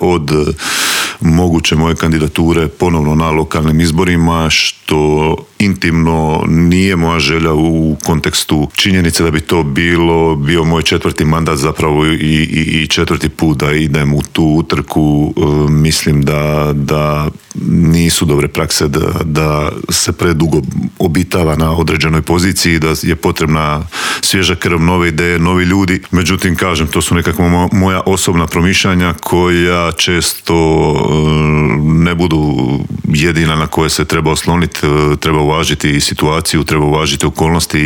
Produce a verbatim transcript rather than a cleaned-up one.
od moguće moje kandidature ponovno na lokalnim izborima, što intimno nije moja želja u kontekstu činjenice da bi to bilo bio moj četvrti mandat zapravo i, i, i četvrti put da idem u tu utrku. Mislim da, da nisu dobre prakse da, da se predugo obitava na određenoj poziciji, da je potrebna svježa krv, nove ideje, novi ljudi. Međutim, kažem, to su nekakva moja osobna promišljanja koja često ne budu jedina na koje se treba osloniti. Treba uvažiti situaciju, treba uvažiti okolnosti